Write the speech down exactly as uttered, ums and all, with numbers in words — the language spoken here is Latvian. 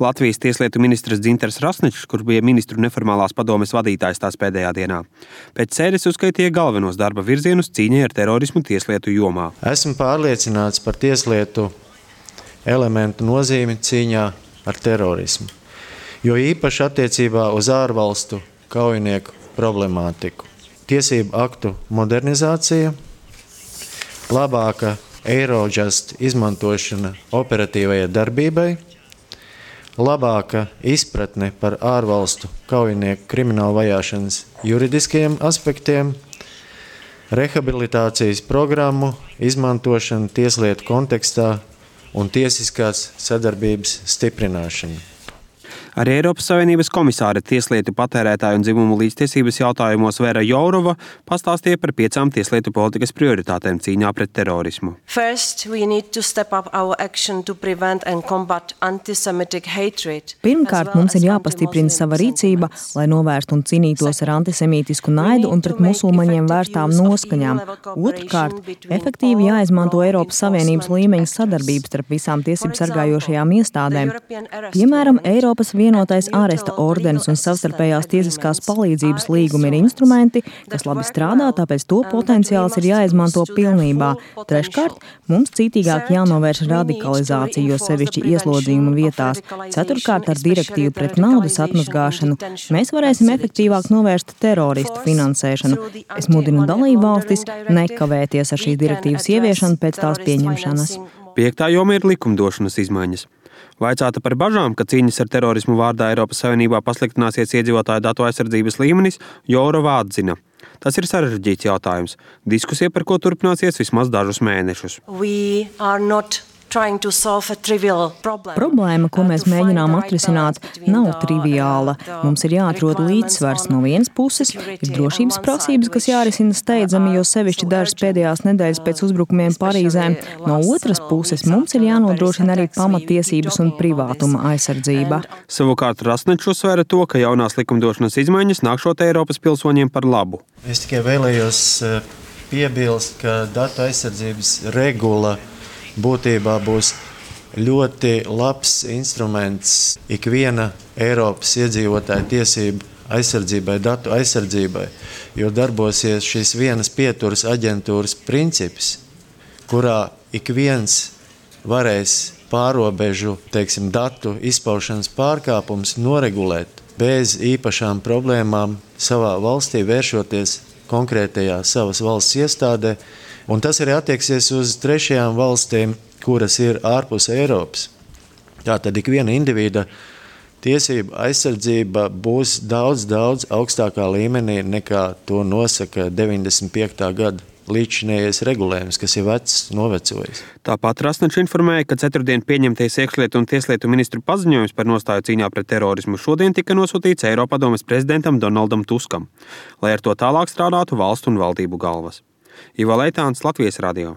Latvijas tieslietu ministrs Dzintars Rasničs, kurš bija ministru neformālās padomes vadītājs tās pēdējā dienā. Pēc sēdes uzskaitīja galvenos darba virzienus cīņai ar terorismu tieslietu jomā. Esmu pārliecināts par tieslietu elementu nozīmi cīņā ar terorismu, jo īpaši attiecībā uz ārvalstu kaujinieku problemātiku. Tiesību aktu modernizācija, labāka Eurojust izmantošana operatīvajai darbībai, labāka izpratne par ārvalstu kaujinieku kriminālu vajāšanas juridiskajiem aspektiem, rehabilitācijas programmu izmantošana tieslietu kontekstā un tiesiskās sadarbības stiprināšana. Arī Eiropas Savienības komisāre tieslietu patērētāju un dzimumu līdztiesības jautājumos Vera Jourova pastāstīja par piecām tieslietu politikas prioritātēm cīņā pret terorismu. First, we need to step up our action to prevent and combat antisemitic hatred. Pirmkārt, mums ir jāpastiprina sava rīcība, lai novērstu un cīnītos ar antisemītisku naidu un pret musulmaņiem vērstām noskaņām. Otrkārt, efektīvi jāizmanto Eiropas Savienības līmeņa sadarbības starp visām tiesību sargājošajām iestādēm. Piemēram, Eiropas vienotais āresta ordenis un savstarpējās tiesiskās palīdzības līgumi ir instrumenti, kas labi strādā, tāpēc to potenciāls ir jāizmanto pilnībā. Treškārt, mums cītīgāk jānovērš radikalizācija, jo sevišķi ieslodzījuma vietās. Ceturkārt, ar direktīvu pret naudas atmazgāšanu mēs varēsim efektīvāk novērst teroristu finansēšanu. Es mudinu dalību valstis nekavēties ar šīs direktīvas ieviešanu pēc tās pieņemšanas. Piektā joma ir likumdošanas izmaiņas. Vaicāta par bažām, ka cīņas ar terorismu vārdā Eiropas Savienībā pasliktināsies iedzīvotāju datu aizsardzības līmenis, Jourova atzina. Tas ir sarežģīts jautājums. Diskusija, par ko turpināsies vismaz dažus mēnešus. Problēma, ko mēs mēģinām atrisināt, nav triviāla. Mums ir jāatrod līdzsvars. No vienas puses ir drošības prasības, kas jārisina steidzami, jo sevišķi dažas pēdējās nedēļas pēc uzbrukumiem Parīzē. No otras puses mums ir jānodrošina arī pamatiesības un privātuma aizsardzība. Savukārt Rasničs uzsvēra to, ka jaunās likumdošanas izmaiņas nākšot Eiropas pilsoņiem par labu. Es tikai vēlējos piebilst, ka datu aizsardzības regula būtībā būs ļoti labs instruments ikviena Eiropas iedzīvotāja tiesību aizsardzībai, datu aizsardzībai, jo darbosies šis vienas pieturas aģentūras princips, kurā ik viens varēs pārobežu, teiksim, datu izpaušanas pārkāpums noregulēt bez īpašām problēmām savā valstī, vēršoties konkrētajā savas valsts iestādē. Un tas arī attieksies uz trešajām valstīm, kuras ir ārpus Eiropas. Tātad ikviena individa tiesība aizsardzība būs daudz, daudz augstākā līmenī nekā to nosaka deviņdesmit piektā gada līdzinējais regulējums, kas ir vecs, novecojis. Tāpat Rasničs informēja, ka ceturtdien pieņemtais iekšlietu un tieslietu ministru paziņojums par nostāju cīņā pret terorismu šodien tika nosūtīts Eiropadomes prezidentam Donaldam Tuskam, lai ar to tālāk strādātu valstu un valdību galvas. Ivo Leitāns, Latvijas radio.